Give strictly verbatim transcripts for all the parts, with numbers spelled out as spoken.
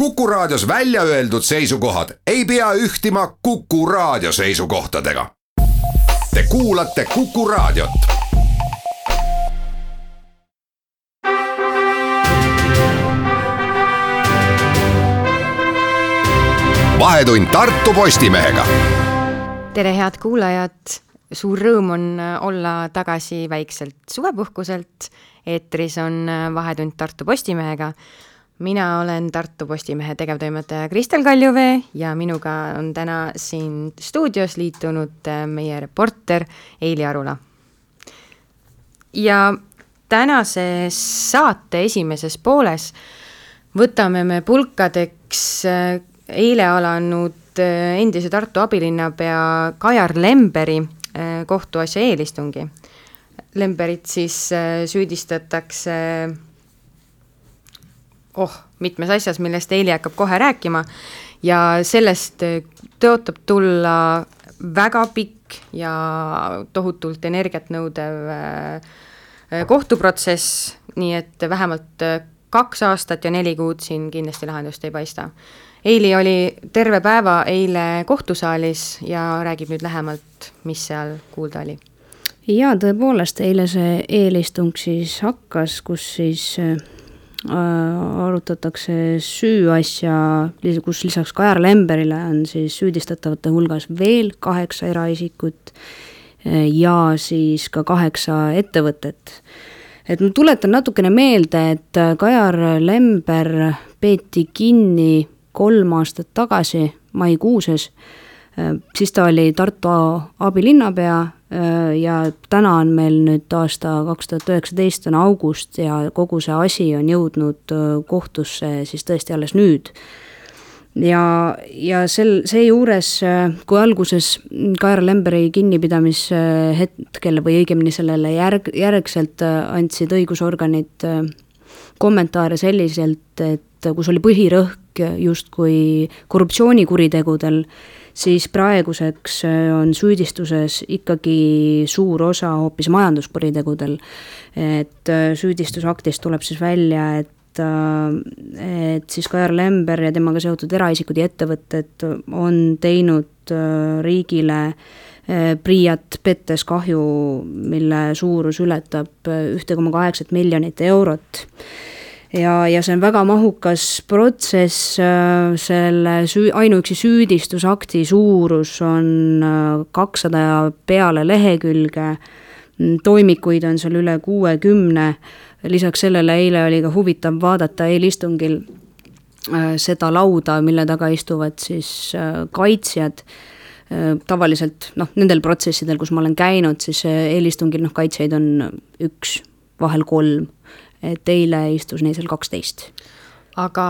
Kuku Raadios välja öeldud seisukohad ei pea ühtima Kuku Raadio seisukohtadega. Te kuulate Kuku Raadiot. Vahetund Tartu Postimehega. Tere head kuulajad, suur rõõm on olla tagasi väikselt suvepuhkuselt. Eetris on Vahetund Tartu Postimehega. Mina olen Tartu Postimehe tegevtoimetaja Kristel Kaljuvee ja minuga on täna siin stuudios liitunud meie reporter Eili Arula. Ja tänase saate esimeses pooles võtame me pulkadeks eile alanud endise Tartu abilinnapea Kajar Lemberi kohtuasja eelistungi. Lemberit siis süüdistatakse oh, mitmes asjas, millest Eili hakkab kohe rääkima ja sellest tõotab tulla väga pikk ja tohutult energiat nõudev kohtuprotsess, nii et vähemalt kaks aastat ja neli kuud siin kindlasti lahendust ei paista. Eili oli terve päeva eile kohtusaalis ja räägib nüüd lähemalt, mis seal kuulda oli. Ja tõepoolest, eile see eelistung siis hakkas, kus siis arutatakse süüasja, kus lisaks Kajar Lemberile on siis süüdistatavate hulgas veel kaheksa eraisikut ja siis ka kaheksa ettevõtet. Et ma tuletan natukene meelde, et Kajar Lember peeti kinni kolm aastat tagasi maikuuses, siis ta oli Tartu abilinnapea ja täna on meil nüüd aasta kaks tuhat üheksateist on august ja kogu see asi on jõudnud kohtusse siis tõesti alles nüüd. Ja, ja sel, see juures, kui alguses Kajar Lemberi kinnipidamis hetkel või õigemini sellele järg, järgselt andsid õigusorganid kommentaare selliselt, et kus oli põhirõhk justkui korruptsioonikuritegudel, siis praeguseks on süüdistuses ikkagi suur osa hoopis majanduskuritegudel. Et süüdistusaktist tuleb siis välja, et, et siis Kajar Lember ja temaga seotud eraisikud ja ettevõtted on teinud riigile Priiat pettes kahju, mille suurus ületab üks koma kaheksa miljonit eurot. Ja, ja see on väga mahukas protsess, selle süü, ainuüksi süüdistusakti suurus on kakssada peale lehekülge, toimikuid on seal üle kuuekümne, lisaks sellele eile oli ka huvitav vaadata eelistungil seda lauda, mille taga istuvad siis kaitsjad. Tavaliselt, noh, nendel protsessidel, kus ma olen käinud, siis eelistungil noh, kaitsjaid on üks, vahel kolm. Et eile istus neil seal kaksteist. Aga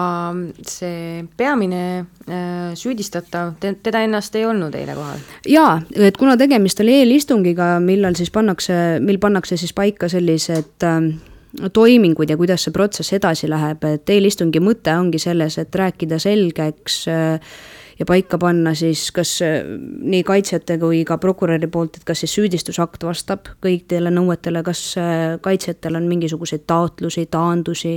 see peamine äh, süüdistatav, teda ennast ei olnud eile kohal? Jaa, et kuna tegemist oli eelistungiga, millal siis pannakse, mil pannakse siis paika sellised äh, toimingud ja kuidas see protsess edasi läheb, et eelistungi mõte ongi selles, et rääkida selgeks äh, ja paika panna siis kas nii kaitsjate kui ka prokuröri poolt, et kas siis süüdistusakt vastab kõikidele nõuetele, kas kaitsjatel on mingisuguseid taotlusi, taandusi,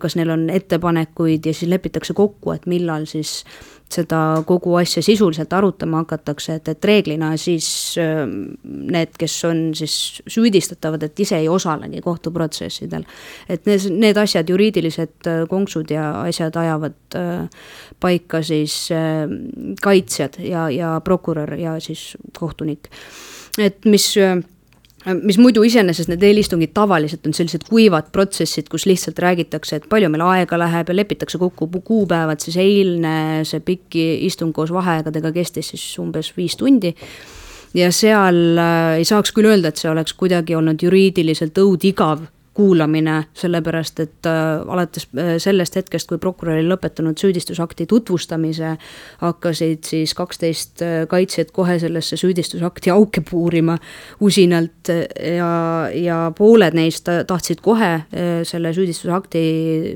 kas neil on ettepanekuid ja siis lepitakse kokku, et millal siis seda kogu asja sisuliselt arutama hakatakse, et, et reeglina siis need, kes on siis süüdistatavad, et ise ei osalegi kohtuprotsessidel. Et need, need asjad, juriidilised konksud ja asjad ajavad paika siis kaitsjad ja, ja prokurör ja siis kohtunik. Et mis... mis muidu iseenesest need eelistungid tavaliselt on sellised kuivad protsessid, kus lihtsalt räägitakse, et palju meil aega läheb ja lepitakse kokku kuupäevad, siis eilne see pikki istung koos vaheaegadega kestis siis umbes viis tundi ja seal ei saaks küll öelda, et see oleks kuidagi olnud juriidiliselt õudigav kuulamine, sellepärast, et äh, alates sellest hetkest, kui prokurör oli lõpetanud süüdistusakti tutvustamise, hakkasid siis kaksteist kaitsjad kohe sellesse süüdistusakti auke puurima usinalt ja, ja pooled neist tahtsid kohe selle süüdistusakti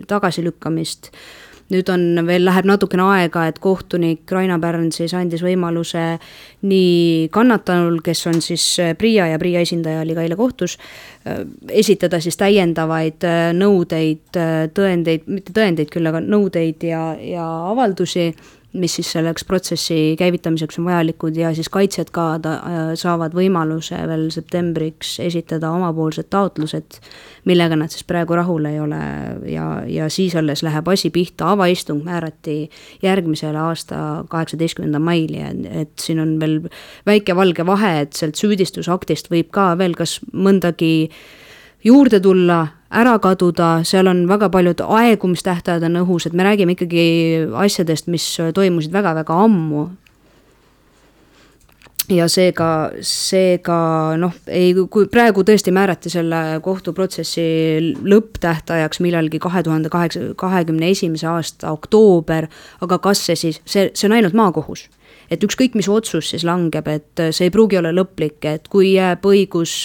tagasilükkamist. nüüd on veel, läheb natukene aega, et kohtunik Raina Pärn siis andis võimaluse nii kannatanul, kes on siis Priia ja Priia esindaja oli ka eile kohtus, esitada siis täiendavaid nõudeid, tõendeid, mitte tõendeid küll, aga nõudeid ja, ja avaldusi, mis siis selleks protsessi käivitamiseks on vajalikud ja siis kaitsjad ka ta, saavad võimaluse veel septembriks esitada omapoolsed taotlused, millega nad siis praegu rahul ei ole ja, ja siis alles läheb asi pihta, avaistung määrati järgmisele aasta kaheksateistkümnenda maili, et siin on veel väike valge vahe, et sealt süüdistusaktist võib ka veel kas mõndagi juurde tulla, ära kaduda, seal on väga paljud aegumistähtajad on õhus, et me räägime ikkagi asjadest, mis toimusid väga-väga ammu. Ja seega, seega noh, ei, kui praegu tõesti määrati selle kohtuprotsessi lõpptähtajaks millalgi kahe tuhande kahekümne esimese aasta oktoober, aga kas see siis, see, see on ainult maakohus. Et ükskõik mis otsus siis langeb, et see ei pruugi olla lõplik, et kui jääb õigus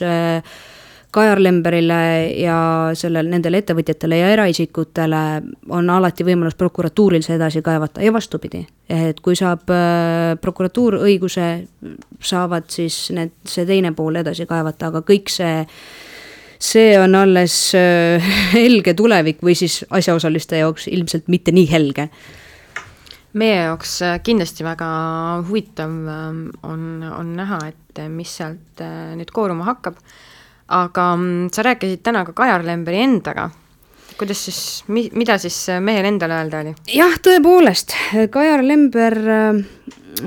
Kajar Lemberile ja sellel, nendele ettevõtjatele ja eraisikutele on alati võimalus prokuratuuril see edasi kaevata ja vastupidi. Et kui saab prokuratuur õiguse, saavad siis need, see teine pool edasi kaevata, aga kõik see, see on alles helge tulevik või siis asjaosaliste jaoks ilmselt mitte nii helge. Meie jaoks kindlasti väga huvitav on, on näha, et mis sealt nüüd kooruma hakkab. Aga sa rääkisid täna ka Kajar Lemberi endaga. Kuidas siis, mida siis mehel endale öelda oli? Jah, tõepoolest. Kajar Lember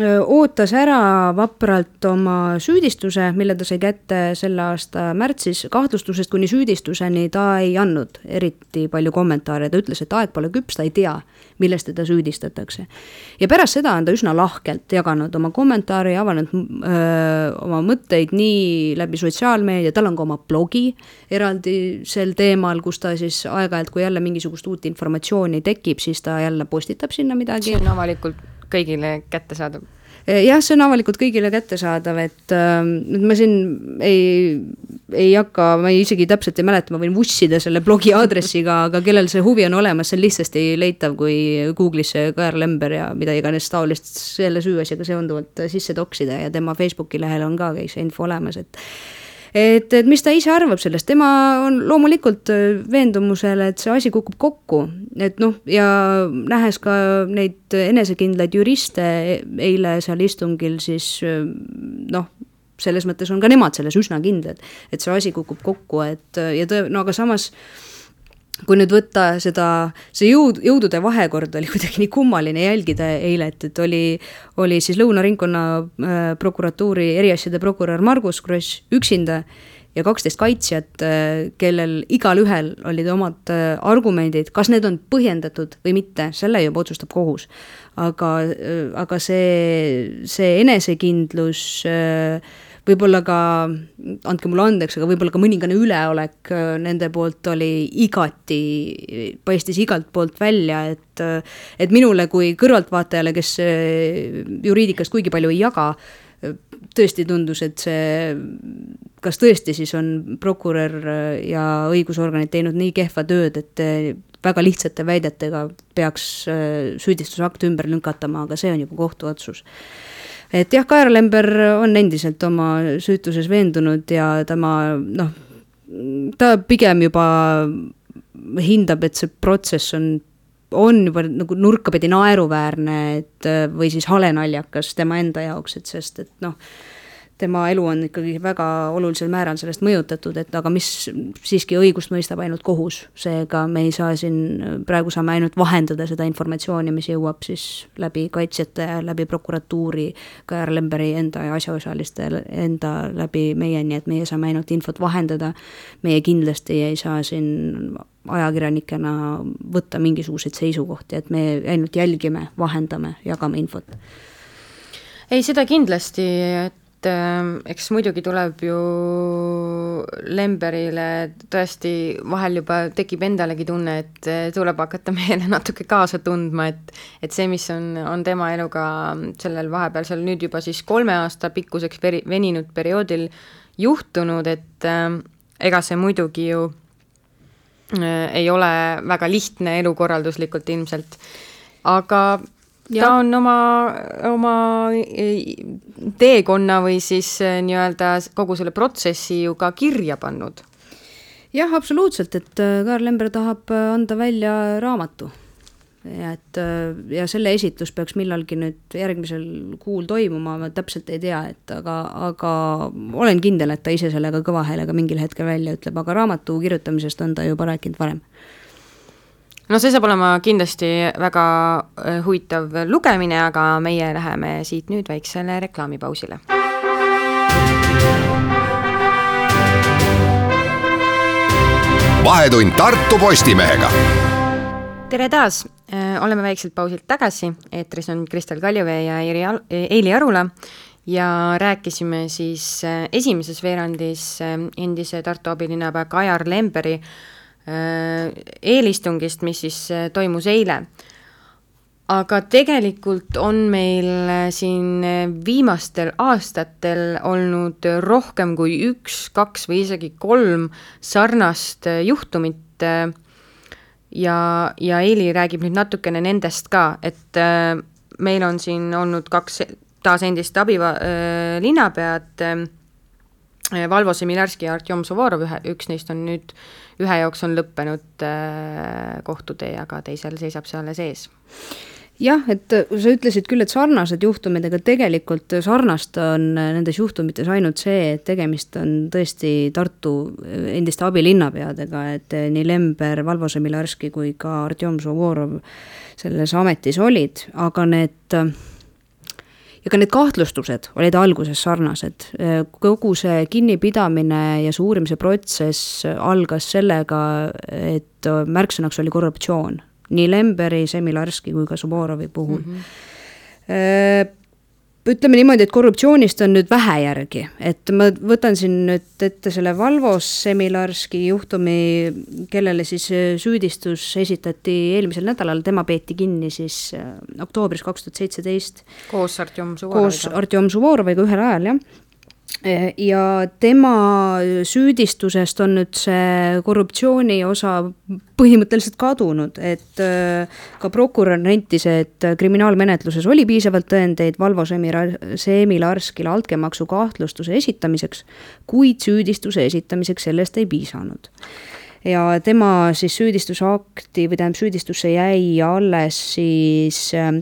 ootas ära vapralt oma süüdistuse, mille ta sai kätte selle aasta märtsis. Kahtlustusest kuni süüdistuseni ta ei andnud eriti palju kommentaare. Ta ütles, et aeg pole küps, ta ei tea, millest teda süüdistatakse. Ja pärast seda on ta üsna lahkelt jaganud oma kommentaari, avanud öö, oma mõtteid nii läbi sotsiaalmeedia, tal on ka oma blogi eraldi sel teemal, kus ta siis aeg-ajalt, kui jälle mingisugust uut informatsiooni tekib, siis ta jälle postitab sinna midagi. See on avalikult kõigile kätte saadav. Jah, see on avalikult kõigile kätte saadav, et äh, ma siin ei, ei hakka, ma ei isegi täpselt ei mäleta, ma võin vussida selle blogi aadressiga, aga kellel see huvi on olemas, see on lihtsasti leitav, kui Google'isse Kajar Lember ja mida iganes taolist selle süüasjaga seonduvalt sisse toksida ja tema Facebooki lehel on ka see info olemas, et Et, et mis ta ise arvab sellest, tema on loomulikult veendumusele, et see asi kukub kokku, et noh, ja nähes ka neid enesekindlaid juriste eile seal istungil, siis noh, selles mõttes on ka nemad selles üsna kindlad, et see asi kukub kokku, et ja tõe, no aga samas kui nüüd võtta seda, see jõud, jõudude vahekord oli kuidagi nii kummaline jälgida eile, et, et oli, oli siis Lõuna ringkonna äh, prokuratuuri eriasjade prokurör Margus Kross üksinda ja kaksteist kaitsjat, äh, kellel igal ühel olid omad äh, argumendid, kas need on põhjendatud või mitte, selle juba otsustab kohus. Aga, äh, aga see, see enesekindlus äh, võib-olla ka, andke mulle andeks, aga võib-olla ka mõningane üleolek nende poolt oli igati, paistis igalt poolt välja, et, et minule kui kõrvaltvaatajale, kes juriidikast kuigi palju ei jaga, tõesti tundus, et see, kas tõesti siis on prokurör ja õigusorganid teinud nii kehva tööd, et väga lihtsate väidetega peaks süüdistusakt ümber lünkatama, aga see on juba kohtuotsus. Et jah, Kajar Lember on endiselt oma süütuses veendunud ja tema, noh, ta pigem juba hindab, et see protsess on, on juba nagu nurkapidi naeruväärne, et või siis halenaljakas tema enda jaoks, et sest, et noh, tema elu on ikkagi väga olulisel määral sellest mõjutatud, et aga mis siiski õigust mõistab ainult kohus, seega me ei saa siin, praegu saame ainult vahendada seda informatsiooni, mis jõuab siis läbi kaitsjate, läbi prokuratuuri, Kajar Lemberi enda ja asjaosaliste enda läbi meie, nii et meie saame ainult infot vahendada, meie kindlasti ei saa siin ajakirjanikena võtta mingisuguseid seisukohti, et me ainult jälgime, vahendame, jagame infot. Ei, seda kindlasti, et eks muidugi tuleb ju Lemberile tõesti vahel juba tekib endalegi tunne, et tuleb hakata meile natuke kaasa tundma, et, et see, mis on, on tema eluga sellel vahepealsel nüüd juba siis kolme aasta pikkuseks peri, veninud perioodil juhtunud, et äh, ega see muidugi ju äh, ei ole väga lihtne elukorralduslikult ilmselt. aga ja. ta on oma, oma teekonna või siis nii-öelda kogu selle protsessi ju ka kirja pannud. Jah, absoluutselt, et Kaarel Lember tahab anda välja raamatu. Ja, et, ja selle esitlus peaks millalgi nüüd järgmisel kuul toimuma, ma täpselt ei tea, et aga, aga olen kindel, et ta ise sellega kõva häälega mingil hetkel välja ütleb, aga raamatu kirjutamisest on ta juba rääkinud varem. No see saab olema kindlasti väga huvitav lugemine, aga meie läheme siit nüüd väiksele reklaamipausile. Vahetund Tartu Postimehega. Tere taas, oleme väikselt pausilt tagasi, eetris on Kristel Kaljuvee ja Eili Arula ja rääkisime siis esimeses veerandis endise Tartu abilinnapea Kajar Lemberi eelistungist, mis siis toimus eile. Aga tegelikult on meil siin viimastel aastatel olnud rohkem kui üks, kaks või isegi kolm sarnast juhtumit ja, ja Eili räägib nüüd natukene nendest ka, et meil on siin olnud kaks taas endist abilinnapead, Valvo Semilarski ja Artjom Suvorov, üks neist on nüüd, ühe jooks on lõppenud kohtutee, aga teisel seisab see alles ees. Jah, et sa ütlesid küll, et sarnased juhtumid, aga tegelikult sarnast on nendes juhtumites ainult see, et tegemist on tõesti Tartu endiste abilinnapeadega, et nii Lember, Valvo Semilarski kui ka Artjom Suvorov selles ametis olid, aga need ja ka need kahtlustused olid alguses sarnased. Kogu see kinnipidamine ja see uurimise protsess algas sellega, et märksõnaks oli korruptsioon. Nii Lemberi, Semilarski kui ka Suvorovi puhul. Mm-hmm. Ütleme niimoodi, et korruptsioonist on nüüd vähe järgi, et ma võtan siin nüüd ette selle Valvo Semilarski juhtumi, kellele siis süüdistus esitati eelmisel nädalal, tema peeti kinni siis oktoobris kaks tuhat seitseteist. Koos Artjom Suvoroviga. Koos Artjom Suvoroviga ühel ajal, jah. Ja tema süüdistusest on nüüd see korruptsiooni osa põhimõtteliselt kadunud, et ka prokurör nentis, et kriminaalmenetluses oli piisavalt tõendeid Valvo Semilarskile altkäemaksu kahtlustuse esitamiseks, kuid süüdistuse esitamiseks sellest ei piisanud. Ja tema siis süüdistusakti või tähendab süüdistusse jäi alles siis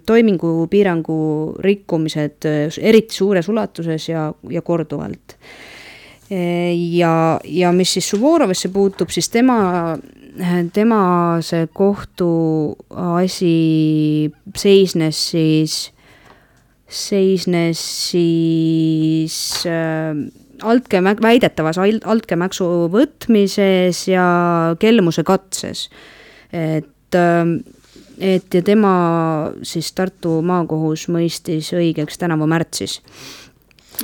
toimingupiirangu rikkumised eriti suures ulatuses ja, ja korduvalt. Ja, ja mis siis Suvorovisse puutub, siis tema, tema see kohtu asi seisnes siis, seisnes siis äh, altkäemäk, väidetavas altkäemaksu võtmises ja kelmuse katses. Et, et ja tema siis Tartu maakohus mõistis õigeks tänavu märtsis.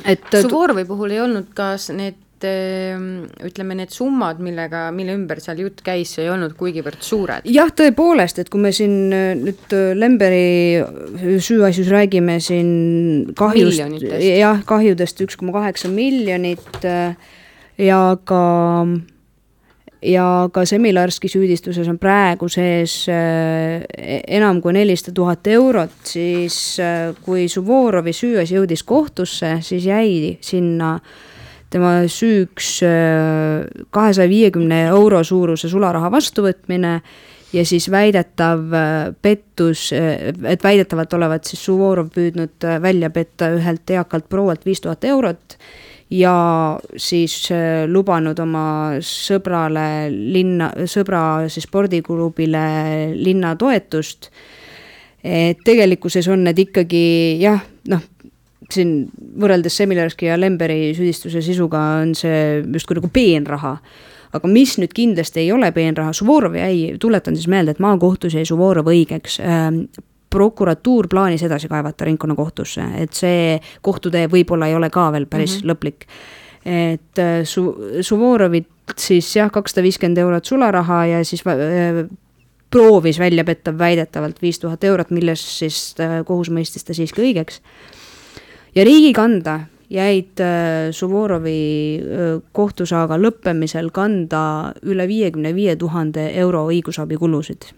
Et, Suvorovi puhul ei olnud kas need, ütleme, need summad, millega, mille ümber seal jutt käis, ei olnud kuigivõrd suured. Jah, tõepoolest, et kui me siin nüüd Lemberi süüasjus räägime siin kahjust, jah, kahjudest üks koma kaheksa miljonit ja ka, ja ka Semilarski süüdistuses on praegu sees enam kui nelisada tuhat eurot, siis kui Suvorovi süüas jõudis kohtusse, siis jäi sinna tema süüks kahesaja viiekümne euro suuruse sularaha vastuvõtmine ja siis väidetav pettus, et väidetavalt olevat siis Suvorov püüdnud välja petta ühelt eakalt proualt viis tuhat eurot ja siis lubanud oma sõbrale linna, sõbra siis spordiklubile linna toetust. Et tegelikkuses on need ikkagi, jah, noh, siin võrreldes Semilarski ja Lemberi süüdistuse sisuga on see just kui nagu peenraha. Aga mis nüüd kindlasti ei ole peenraha, Suvorov jäi, tuletan siis meelde, et maakohtus jäi Suvorov õigeks. Prokuratuur plaanis edasi kaevata ringkonnakohtusse, et see kohtutee võib-olla ei ole ka veel päris mm-hmm. lõplik. Et su, Suvorovit siis jah, kakssada viiskümmend eurot sularaha ja siis proovis välja petta väidetavalt viis tuhat eurot, milles siis kohus mõistis ta siiski õigeks. Ja riigi kanda jäid Suvorovi kohtusaaga lõppemisel kanda üle viiekümne viie tuhande euro õigusabikulusid.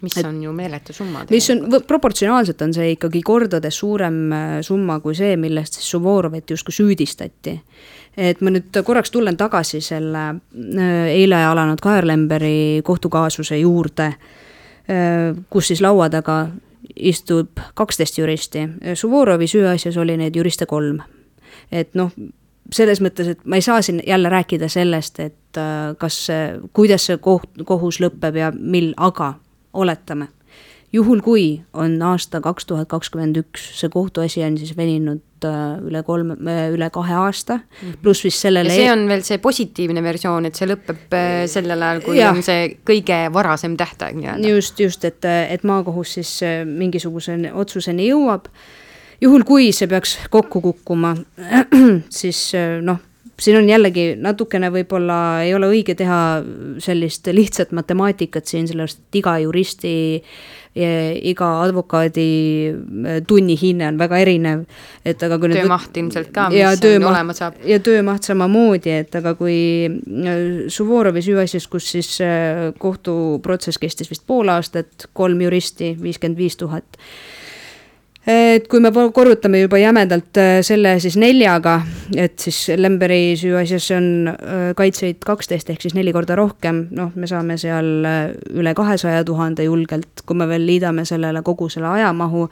mis et, on ju meeletu summa. Mis on, proportsionaalselt on see ikkagi kordades suurem summa kui see, millest siis Suvorovit justkui süüdistati. Et ma nüüd korraks tulen tagasi selle eile alanud Kajar Lemberi kohtukaasuse juurde, kus siis laua taga istub kaksteist juristi. Suvorovi süüasjas oli neid juriste kolm. Et noh, selles mõttes, et ma ei saa siin jälle rääkida sellest, et kas, kuidas see koht, kohus lõppeb ja mil, aga oletame. Juhul kui on aasta kaks tuhat kakskümmend üks, see kohtuasi on siis veninud üle, kolme, üle kahe aasta, pluss vist sellele... Ja see on veel see positiivne versioon, et see lõpeb sellel ajal, kui ja. on see kõige varasem tähtaeg. Nii-öelda. Just, just, et, et maakohus siis mingisuguse otsuseni jõuab. Juhul kui see peaks kokku kukkuma, siis noh, siin on jällegi natukene võib-olla ei ole õige teha sellist lihtsat matemaatikat siin, sellest iga juristi ja iga advokaadi tunnihinne on väga erinev. Et aga kui töömaht nüüd, ilmselt ka, mis töömaht, olema saab. Ja töömaht samamoodi, et aga kui Suvorovi süüasjas, kus siis kohtuprotsess kestis vist pool aastat, kolm juristi, viiskümmend viis tuhat. Et kui me korrutame juba jämedalt selle siis neljaga, et siis Lemberi süüasjas on kaitseid kaksteist ehk siis neli korda rohkem, noh, me saame seal üle kahesaja tuhande julgelt, kui me veel liidame sellele kogu selle ajamahu.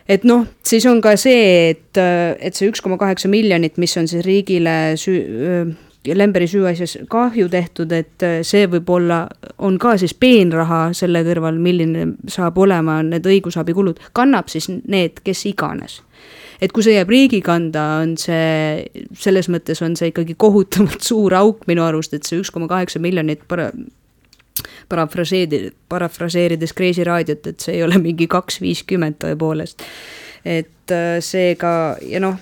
Et noh, siis on ka see, et, et see üks koma kaheksa miljonit, mis on siis riigile süü, Lemberi süüasjas kahju tehtud, et see võib-olla on ka siis peenraha selle kõrval, milline saab olema need õigusabikulud, kannab siis need, kes iganes. Et kui see jääb riigi kanda, on see, selles mõttes on see ikkagi kohutavalt suur auk minu arust, et see üks koma kaheksa miljonit para, parafraseerides, parafraseerides Kreisi raadiot, et see ei ole mingi kaks viiskümmend tõepoolest. Et see ka, ja noh,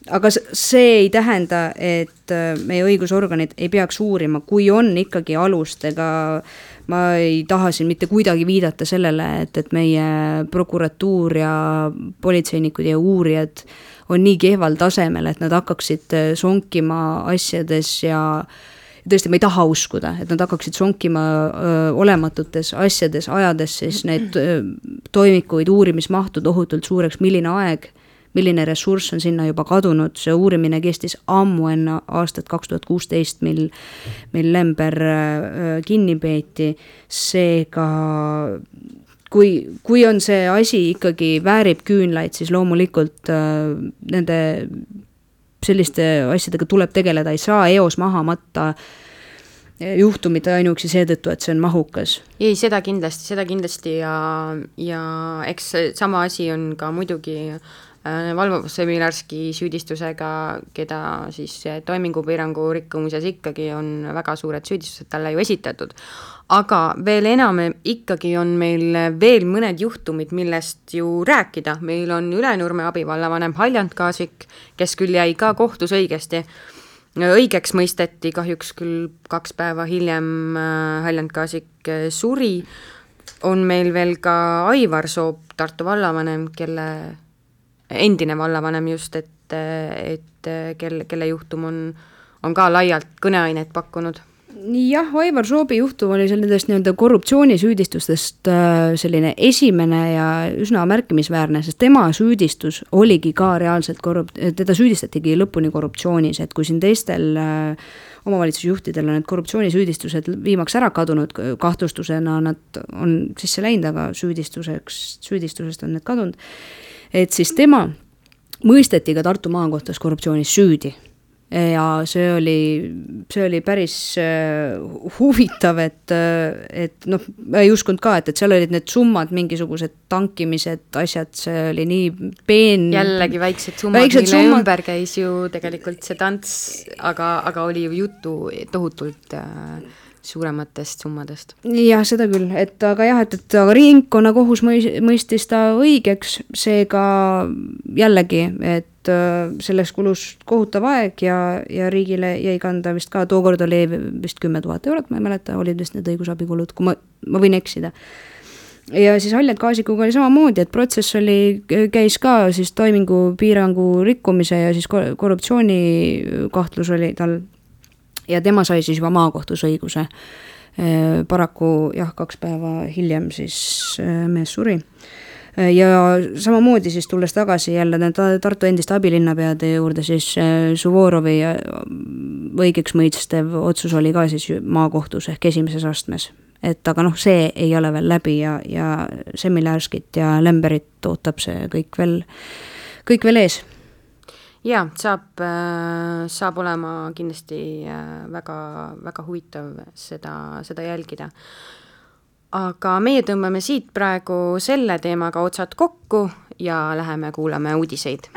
aga see ei tähenda, et meie õigusorganid ei peaks uurima, kui on ikkagi alust, ega ma ei taha siin mitte kuidagi viidata sellele, et, et meie prokuratuur ja politseinikud ja uurijad on nii kehval tasemel, et nad hakkaksid sonkima asjades ja tõesti ma ei taha uskuda, et nad hakkaksid sonkima öö, olematutes asjades, ajades siis need öö, toimikuid uurimismahtu tohutult suureks, milline aeg milline ressurss on sinna juba kadunud, see uurimine kestis ammu enne aastat kaks tuhat kuusteist, mil, mil Lember kinni peeti, seega kui, kui on see asi ikkagi väärib küünlaid, siis loomulikult äh, nende selliste asjadega tuleb tegeleda, ei saa eos maha matta juhtumid ainuüksi seetõttu, et see on mahukas. Ei, seda kindlasti, seda kindlasti ja, ja eks sama asi on ka muidugi Valvo Semilarski süüdistusega, keda siis toimingupiirangu rikkumises ikkagi on väga suured süüdistused talle ju esitatud. Aga veel enam ikkagi on meil veel mõned juhtumid, millest ju rääkida. Meil on Ülenurme abivallavanem Haljand Kaasik, kes küll jäi ka kohtus õigesti. Õigeks mõisteti, kahjuks küll kaks päeva hiljem Haljand Kaasik suri. On meil veel ka Aivar Soop, Tartu vallavanem, kelle endine vallavanem just, et, et kelle, kelle juhtum on, on ka laialt kõneainet pakkunud. Jah, Aivar Soobi juhtum oli sellisest nii-öelda korruptsioonisüüdistustest selline esimene ja üsna märkimisväärne, sest tema süüdistus oligi ka reaalselt korrup-, teda süüdistatigi lõpuni korruptsioonis, et kui siin teistel omavalitsusjuhtidel on need korruptsioonisüüdistused viimaks ära kadunud, kahtlustusena nad on sisse läinud, aga süüdistuseks, süüdistusest on need kadunud, et siis tema mõisteti ka Tartu maakohtus korruptsioonis süüdi. Ja see oli, see oli päris huvitav, et, et noh, ma ei uskunud ka, et, et seal olid need summad, mingisugused tankimised, asjad, see oli nii peen... Jällegi väiksed summad, väiksed mille summad... ümber käis ju tegelikult see tants, aga, aga oli ju juttu tohutult... suurematest summadest. Jah, seda küll, et aga jah, et, et aga ringkonna kohus mõistis ta õigeks, seega jällegi, et selleks kulus kohutav aeg ja, ja riigile jäi kanda vist ka, tookord oli vist kümme tuhat eurot, ma ei mäleta, olid vist need õigusabikulud, kui ma, ma võin eksida. Ja siis Haljand Kaasikuga oli samamoodi, et protsess oli, käis ka siis toimingu piirangu rikkumise ja siis korruptsiooni kahtlus oli tal ja tema sai siis juba maakohtus õiguse. paraku jah, kaks päeva hiljem siis mees suri. Ja samamoodi siis tulles tagasi jälle Tartu endiste abilinnapeade juurde, siis Suvorovi õigeks mõistev otsus oli ka siis maakohtus ehk esimeses astmes. Et aga noh, see ei ole veel läbi ja, ja Semilärskit ja Lemberit ootab see kõik veel, kõik veel ees. Ja, saab, saab olema kindlasti väga, väga huvitav seda, seda jälgida. Aga meie tõmbame siit praegu selle teemaga otsad kokku ja läheme kuulame uudiseid.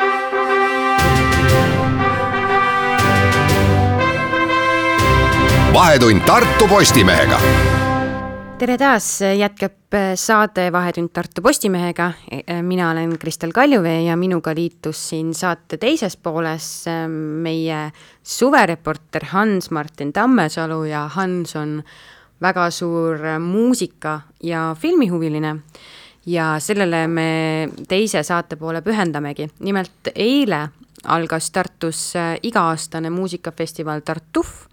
Vahetund Tartu Postimehega. Tere taas, jätkab saade Vahetund Tartu Postimehega. Mina olen Kristel Kaljuvee ja minuga liitus siin saate teises pooles meie suvereporter Hans-Martin Tammesalu ja Hans on väga suur muusika ja filmihuviline ja sellele me teise saate poole pühendamegi. Nimelt eile algas Tartus iga-aastane muusikafestival Tartuf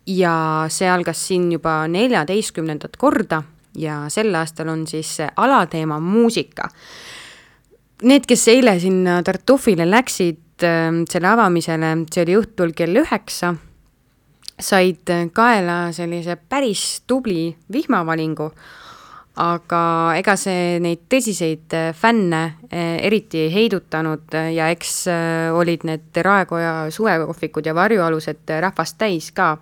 ja see algas siin juba neljateistkümnendat korda ja sel aastal on siis alateema muusika. Need, kes eile sinna Tartufile läksid selle avamisele, see oli õhtul kell üheksa, said kaela sellise päris tubli vihmavalingu, aga ega see neid tõsiseid fänne eriti heidutanud ja eks olid need Raekoja suvekohvikud ja varjualused rahvast täis ka.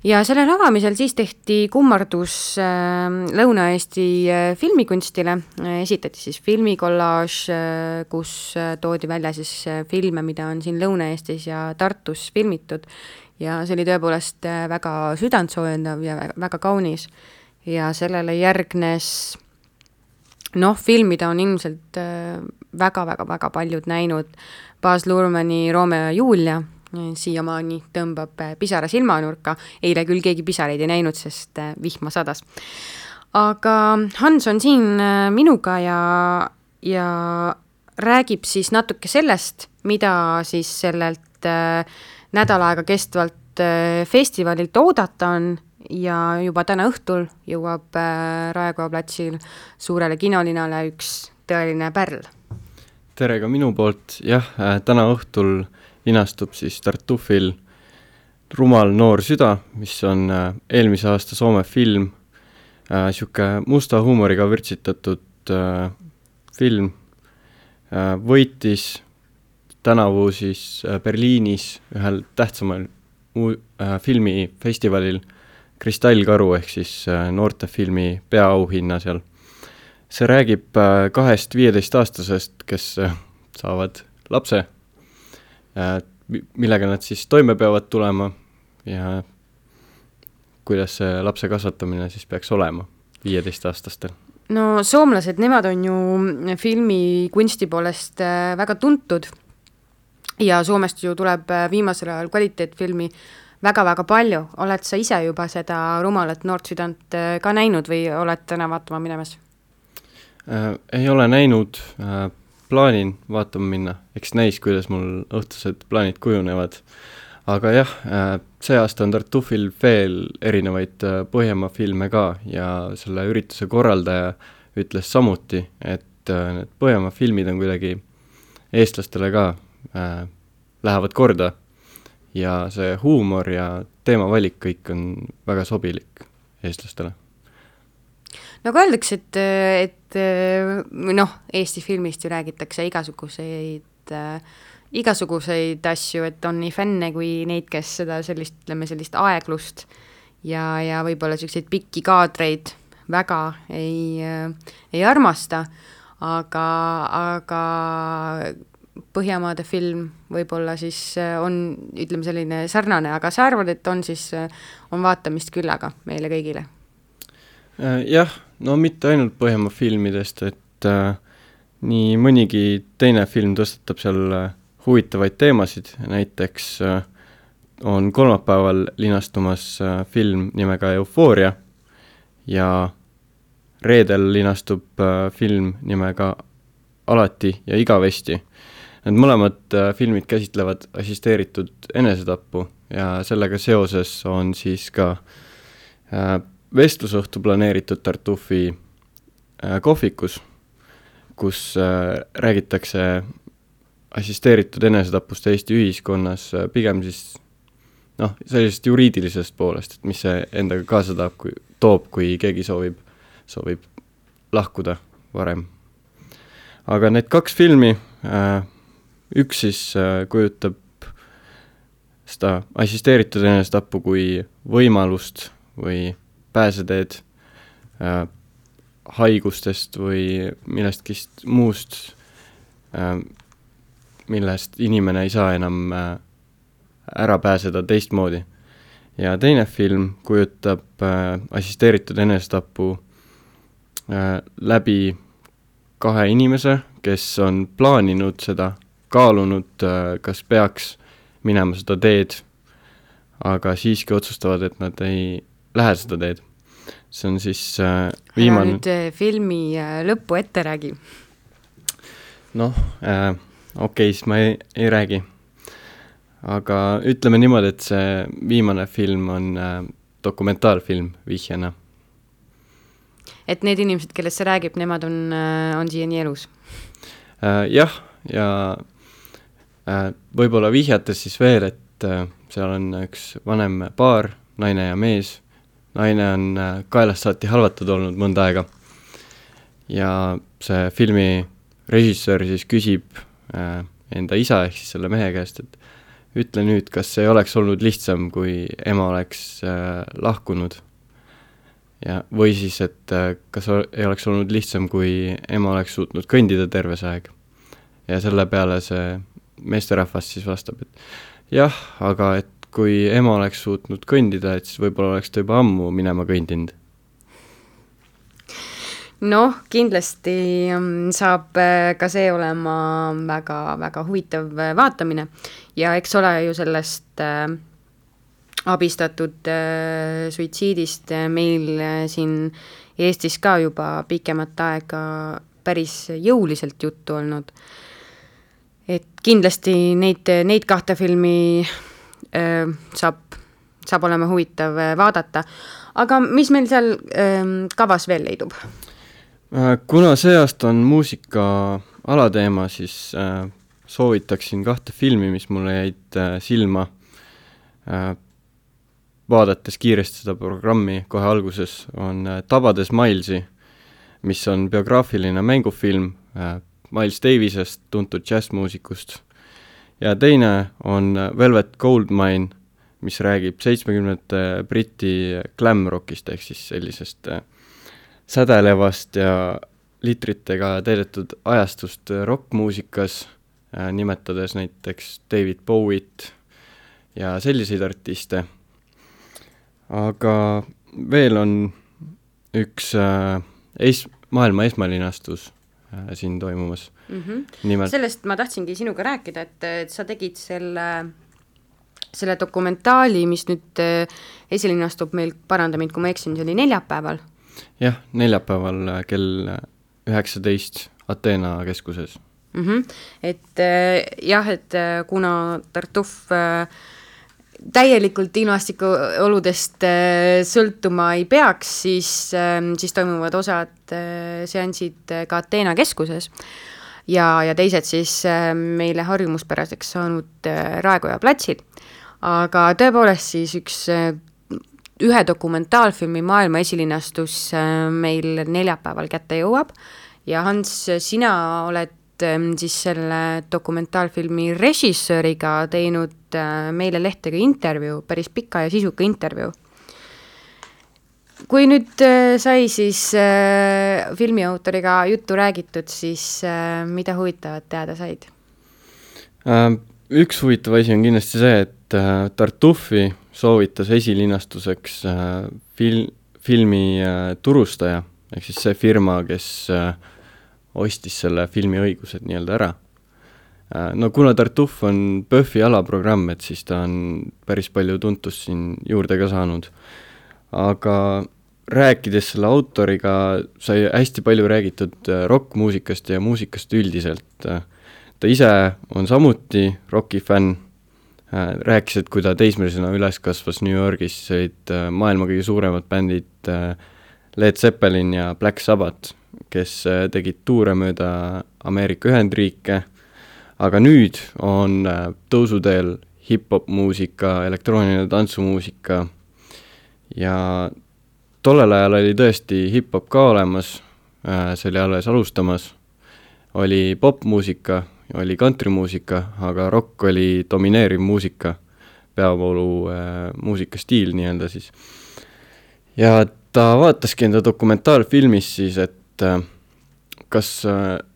Ja sellel avamisel siis tehti kummardus Lõuna-Eesti filmikunstile, esitati siis filmikollaaž, kus toodi välja siis filme, mida on siin Lõuna-Eestis ja Tartus filmitud ja see oli tõepoolest väga südantsoojendav ja väga kaunis. Ja sellele järgnes noh, filmida on ilmselt väga-väga-väga paljud näinud Baz Luhrmanni Romeo ja Julia, siiamaani tõmbab pisara silmanurka, eile küll keegi pisareid ei näinud, sest vihma sadas. Aga Hans on siin minuga ja, ja räägib siis natuke sellest, mida siis sellelt nädal aega kestvalt festivalilt oodata on ja juba täna õhtul jõuab Raekoja platsil suurele kinolinale üks tõeline pärl. Tere ka minu poolt, jah, täna õhtul linastub siis Tartufil Rumal noor süda, mis on eelmise aasta Soome film, siuke musta huumoriga vürtsitatud film, võitis tänavu siis Berliinis ühel tähtsamal filmifestivalil Kristallkaru ehk siis noortefilmi peaauhinna seal. See räägib kahest viieteist-aastasest, kes saavad lapse, millega nad siis toime peavad tulema ja kuidas see lapse kasvatamine siis peaks olema viieteist-aastastel. No soomlased, nemad on ju filmi kunsti poolest väga tuntud ja Soomest ju tuleb viimasel ajal kvaliteetfilmi väga-väga palju. Oled sa ise juba seda Rumalat noort südant ka näinud või oled täna vaatama minemas? Äh, ei ole näinud, äh, plaanin vaatama minna, eks näis, kuidas mul õhtused plaanid kujunevad. Aga jah, äh, see aasta on Tartufil veel erinevaid äh, Põhjamaa filme ka ja selle ürituse korraldaja ütles samuti, et äh, need Põhjamaa filmid on kuidagi eestlastele ka äh, lähevad korda ja see huumor ja teemavalik kõik on väga sobilik eestlastele. Nagu öeldakse, et, et noh, Eesti filmist ju räägitakse igasuguseid, igasuguseid asju, et on nii fänne kui neid, kes seda sellist, ütleme, sellist aeglust ja, ja võib-olla selliseid pikki kaadreid väga ei, ei armasta, aga, aga Põhjamaade film võib-olla siis on, ütleme, selline sarnane, aga sa arvad, et on siis, on vaatamist küllaga meile kõigile? Jah, no mitte ainult Põhjamaa filmidest, et äh, nii mõnigi teine film tõstatab seal äh, huvitavaid teemasid, näiteks äh, on kolmapäeval linastumas äh, film nimega Eufooria ja reedel linastub äh, film nimega Alati ja igavesti. Need mõlemad äh, filmid käsitlevad assisteeritud enesetappu ja sellega seoses on siis ka vestlusõhtu planeeritud Tartufi kohvikus, kus räägitakse assisteeritud enesetapust Eesti ühiskonnas pigem siis noh, sellisest juriidilisest poolest, et mis see endaga kaasa toob, kui, toob, kui keegi soovib, soovib lahkuda varem. Aga need kaks filmi, üks siis kujutab seda assisteeritud enesetappu kui võimalust või pääseteed haigustest või millestki muust, millest inimene ei saa enam ära pääseda teistmoodi. Ja teine film kujutab äh, assisteeritud enesetapu äh, läbi kahe inimese, kes on plaaninud seda, kaalunud, äh, kas peaks minema seda teed, aga siiski otsustavad, et nad ei lähe seda teed. See on siis äh, viimane... Ära nüüd filmi äh, lõppu ette räägi. Noh, äh, okei, siis ma ei, ei räägi. Aga ütleme niimoodi, et see viimane film on äh, dokumentaalfilm vihjana. Et need inimesed, kellest see räägib, nemad on, äh, on siiani elus? Äh, jah, ja äh, võib-olla vihjates siis veel, et äh, seal on üks vanem paar, naine ja mees. Naine on äh, kaelast saati halvatud olnud mõnda aega. Ja see filmi režissöör siis küsib äh, enda isa ehk siis selle mehe käest, et ütle nüüd, kas ei oleks olnud lihtsam, kui ema oleks äh, lahkunud. Ja, või siis, et äh, kas ei oleks olnud lihtsam, kui ema oleks suutnud kõndida terve see aeg. Ja selle peale see meesterahvas siis vastab, et jah, aga et kui ema oleks suutnud kõndida, et siis võib-olla oleks ta juba ammu minema kõndinud. Noh, kindlasti saab ka see olema väga, väga huvitav vaatamine ja eks ole ju sellest äh, abistatud äh, suitsiidist meil siin Eestis ka juba pikemat aega päris jõuliselt juttu olnud. Et kindlasti neid, neid kahte filmi äh, saab, saab olema huvitav vaadata. Aga mis meil seal äh, kavas veel leidub? Kuna see aasta on muusika alateema, siis äh, soovitaksin kahte filmi, mis mulle jäid äh, silma äh, vaadates kiiresti seda programmi kohe alguses, on äh, Tabades Milesi, mis on biograafiline mängufilm äh, Miles Davisest, tuntud jazzmuusikust. Ja teine on Velvet Goldmine, mis räägib seitsmekümnendate Briti glam rockist ehk siis sellisest äh, sädelevast ja litritega täidetud ajastust rockmuusikas, äh, nimetades näiteks David Bowiet ja selliseid artiste. Aga veel on üks äh, es- maailma esmalinastus äh, siin toimumas. Mm-hmm. Nimelt... Sellest ma tahtsingi sinuga rääkida, et, et sa tegid selle, selle dokumentaali, mis nüüd äh, esilinastub meil, paranda mind, kui ma eksin, see oli neljapäeval. Jah, neljapäeval kell üheksateist Ateena keskuses. Mm-hmm. Et äh, jah, et äh, kuna Tartuf äh, täielikult ilmastiku oludest äh, sõltuma ei peaks, siis, äh, siis toimuvad osad äh, seansid ka Ateena keskuses ja, ja teised siis äh, meile harjumuspäraseks saanud äh, Raekoja platsil. Aga tõepoolest siis üks äh, ühe dokumentaalfilmi maailma esilinastus meil neljapäeval kätte jõuab ja Hans, sina oled siis selle dokumentaalfilmi režissööriga teinud meile lehtega intervjuu, päris pika ja sisuka intervjuu. Kui nüüd sai siis filmiautoriga juttu räägitud, siis mida huvitavat teada said? Üks huvitav asi on kindlasti see, et Tartufi soovitas esilinastuseks fil- filmi turustaja, ehk siis see firma, kes ostis selle filmi õigused nii-öelda ära. No kuna Tartuf on Pöffi alaprogramm, et siis ta on päris palju tuntust siin juurde ka saanud. Aga rääkides selle autoriga sai hästi palju räägitud rockmuusikast ja muusikast üldiselt. Ta ise on samuti rocki fänn, rääkis, et kui ta teismelisena üles kasvas New Yorgis, olid maailma kõige suuremad bändid Led Zeppelin ja Black Sabbath, kes tegid tuure mööda Ameerika Ühendriike, aga nüüd on tõusuteel hip-hop muusika, elektrooniline tantsumuusika ja tollel ajal oli tõesti hip-hop ka olemas, see oli alles alustamas, oli popmuusika, oli countrymuusika, aga rock oli domineeriv muusika, peavoolu muusikastiil nii-öelda siis. Ja ta vaataski enda dokumentaalfilmis siis, et kas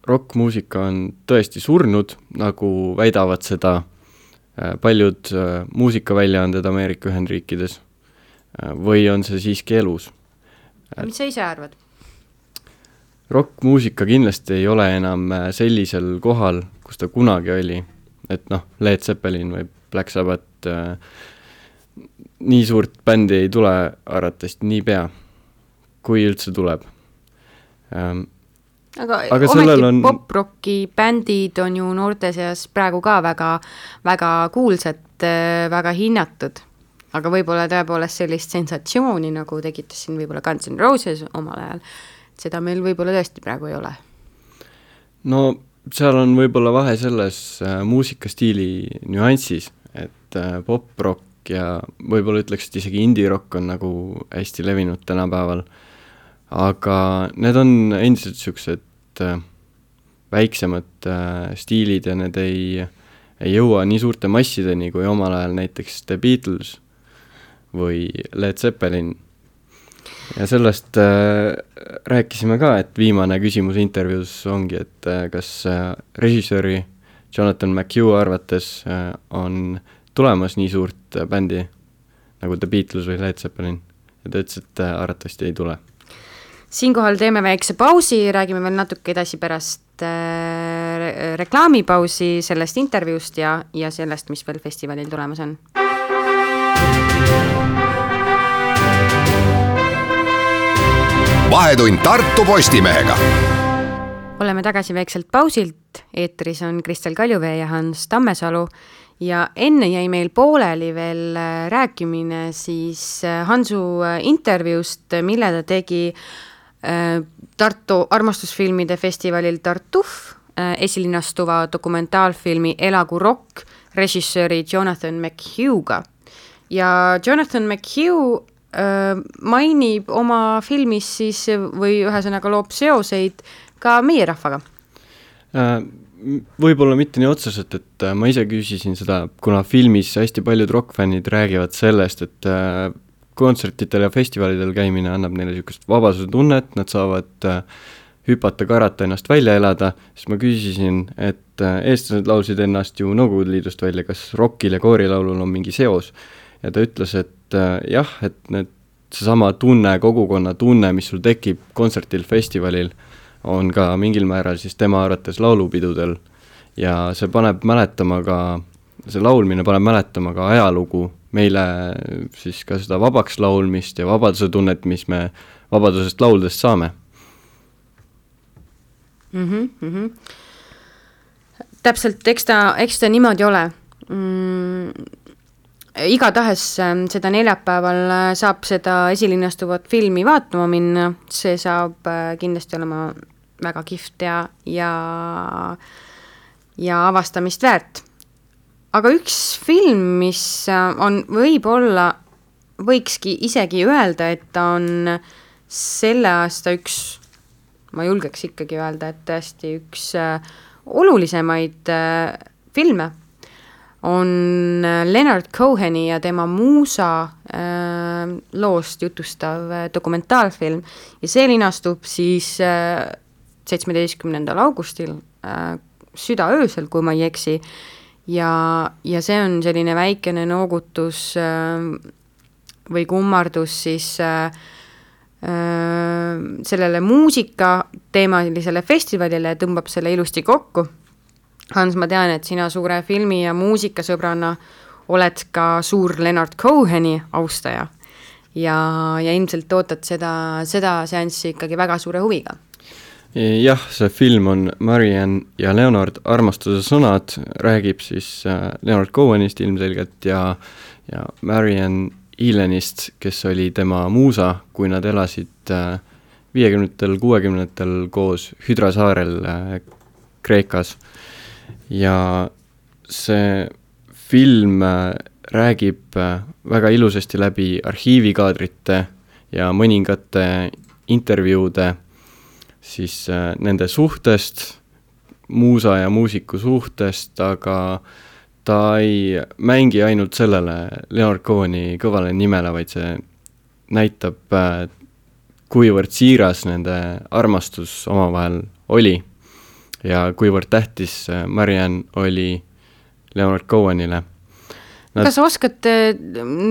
rockmuusika on tõesti surnud, nagu väidavad seda paljud muusikaväljaanded Ameerika Ühendriikides, või on see siiski elus. Mis sa ise arvad? Rockmuusika kindlasti ei ole enam sellisel kohal, kus ta kunagi oli, et noh, Led Zeppelin või Black Sabbath, nii suurt bändi ei tule arvatavasti nii pea, kui üldse tuleb. Aga, aga ometi on... pop-rocki bändid on ju noorte seas praegu ka väga, väga kuulsad, väga hinnatud, aga võib-olla tõepoolest sellist sensatsiooni, nagu tegitas siin võib-olla Guns N' Roses omal ajal, seda meil võib-olla tõesti praegu ei ole. No seal on võib-olla vahe selles äh, muusikastiili nüanssis, et äh, pop-rock ja võib-olla ütleks, et isegi indie-rock on nagu hästi levinud tänapäeval, aga need on endiselt siuksed äh, väiksemad äh, stiilid ja need ei, ei jõua nii suurte massideni kui omal ajal näiteks The Beatles või Led Zeppelin. Ja sellest äh, rääkisime ka, et viimane küsimus intervjuus ongi, et äh, kas äh, režissööri Jonathan McHugh arvates äh, on tulemas nii suurt äh, bändi nagu The Beatles või Led Zeppelin. Ja ta ütles, et äh, arvatavasti ei tule. Siinkohal teeme väikse pausi, räägime veel natuke edasi pärast äh, reklaamipausi sellest intervjuust ja, ja sellest, mis veel festivalil tulemas on. Vahetund Tartu Postimehega. Oleme tagasi väikselt pausilt, eetris on Kristel Kaljuvee ja Hans Tammesalu ja enne jäi meil pooleli veel rääkimine siis Hansu intervjuust, mille ta tegi Tartu armastusfilmide festivalil Tartuf esilinastuva dokumentaalfilmi Elagu rock režissööri Jonathan McHugh'ga. Ja Jonathan McHugh mainib oma filmis siis või ühesõnaga loob seoseid ka meie rahvaga? Võib-olla mitte nii otseselt, et ma ise küsisin seda, kuna filmis hästi paljud rockfännid räägivad sellest, et kontsertitel ja festivalidel käimine annab neile niisugust vabasuse tunnet, nad saavad hüpata, karata, ennast välja elada, siis ma küsisin, et eestlased laulsid ennast ju Nõukogude Liidust välja, kas rockil ja koorilaulul on mingi seos? Ja ta ütles, et jah, et need, see sama tunne, kogukonna tunne, mis sul tekib kontsertil, festivalil, on ka mingil määral siis tema arvates laulupidudel ja see paneb mäletama ka, see laulmine paneb mäletama ka ajalugu, meile siis ka seda vabaks laulmist ja vabaduse tunnet, mis me vabadusest lauldes saame. Mm-hmm, mm-hmm. Täpselt, eks ta, eks ta niimoodi ole. Mm. Igatahes seda neljapäeval saab seda esilinastuvat filmi vaatama minna, see saab kindlasti olema väga kihvt ja, ja, ja avastamist väärt. Aga üks film, mis on võib-olla, võikski isegi öelda, et ta on selle aasta üks, ma julgeks ikkagi öelda, et tõesti üks olulisemaid filme, on Leonard Coheni ja tema muusa äh, loost jutustav dokumentaalfilm ja see linastub siis äh, seitsmeteistkümnendal augustil äh, südaöösel, kui ma ei eksi ja, ja see on selline väikene noogutus äh, või kummardus siis äh, äh, sellele muusika teemalisele festivalile ja tõmbab selle ilusti kokku. Hans, ma tean, et sina suure filmi ja muusikasõbrana oled ka suur Leonard Coheni austaja ja, ja ilmselt ootad seda, seda seanssi ikkagi väga suure huviga. jah, see film on Marianne ja Leonard armastuse sõnad, räägib siis Leonard Cohenist ilmselgelt ja, ja Marianne Elenist, kes oli tema muusa, kui nad elasid viiekümnendatel, kuuekümnendatel koos Hydra saarel Kreekas. Ja see film räägib väga ilusasti läbi arhiivikaadrite ja mõningate intervjuude siis nende suhtest, muusa ja muusiku suhtest, aga ta ei mängi ainult sellele Leonard Coheni kõvale nimele, vaid see näitab, kuivõrd siiras nende armastus omavahel oli ja kuivõrd tähtis Marianne oli Leonard Cohenile. Nad... Kas oskad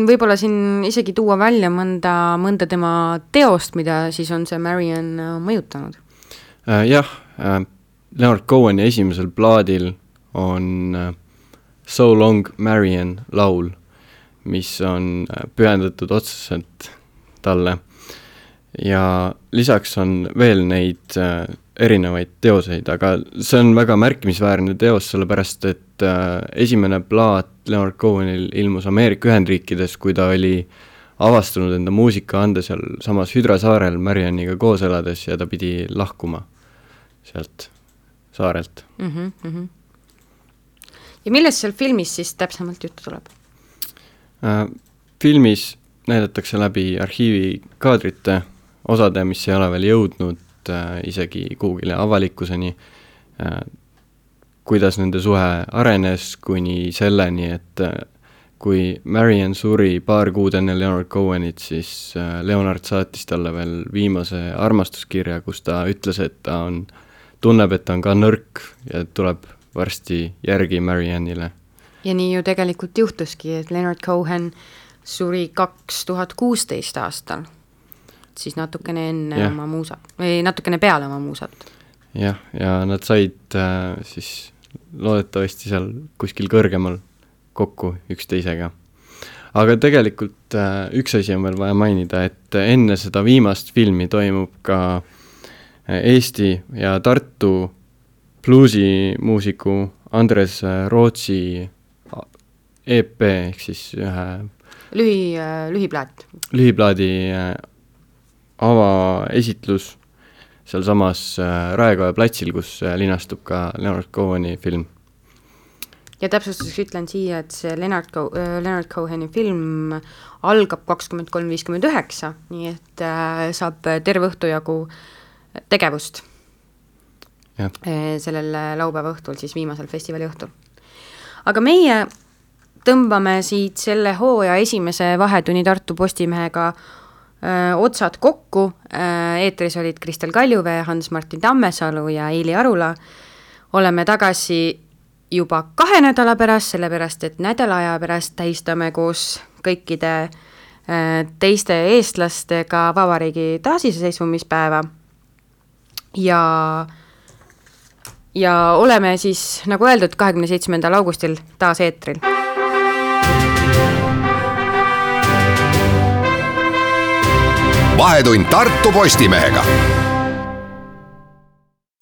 võib-olla siin isegi tuua välja mõnda, mõnda tema teost, mida siis on see Marianne mõjutanud? Äh, jah, äh, Leonard Coheni esimesel plaadil on äh, So Long Marianne laul, mis on pühendatud otseselt talle. Ja lisaks on veel neid äh, erinevaid teoseid, aga see on väga märkimisväärne teos, sellepärast et äh, esimene plaat Leonard Cohenil ilmus Ameerika Ühendriikides, kui ta oli avastanud enda muusika ande seal samas Hydra saarel Marianniga koos elades ja ta pidi lahkuma sealt saarelt. Mm-hmm, mm-hmm. Ja millest seal filmis siis täpsemalt juttu tuleb? Äh, filmis näidatakse läbi arhiivikaadrite osade, mis ei ole veel jõudnud äh, isegi kuhugile avalikkuseni, äh, kuidas nende suhe arenes kuni selleni, et äh, kui Marianne suri paar kuud enne Leonard Cohenit, siis äh, Leonard saatis talle veel viimase armastuskirja, kus ta ütles, et ta on, tunneb, et ta on ka nõrk ja tuleb varsti järgi Marianne'ile. Ja nii ju tegelikult juhtuski, et Leonard Cohen suri kaks tuhat kuusteist aastal, siis natukene enne ja. oma muusat, või natukene peale oma muusat. Jah, ja nad said äh, siis loodetavasti seal kuskil kõrgemal kokku üksteisega. Aga tegelikult äh, üks asi on veel vaja mainida, et enne seda viimast filmi toimub ka Eesti ja Tartu bluusimuusiku Andres Rootsi E P, ehk siis ühe Lühi, lühiplaat. Lühiplaadi avaesitlus seal samas Raekoja platsil, kus linastub ka Leonard Coheni film. Ja täpsustuseks ütlen siia, et see Leonard, Co- Leonard Coheni film algab kakskümmend kolm viiskümmend üheksa, nii et saab terve õhtu jagu tegevust ja. sellel laupäeva õhtul, siis viimasel festivali õhtul. Aga meie tõmbame siit selle hooaja esimese vahetunni Tartu Postimehega öö, otsad kokku. Eetris olid Kristel Kaljuvee, Hans-Martin Tammesalu ja Eili Arula. Oleme tagasi juba kahe nädala pärast, sellepärast et nädala aja pärast tähistame koos kõikide öö, teiste eestlastega vabariigi taasiseseisvumispäeva. Ja, ja oleme siis, nagu öeldud, kahekümne seitsmendal augustil taas eetril. Vahetund Tartu Postimehega.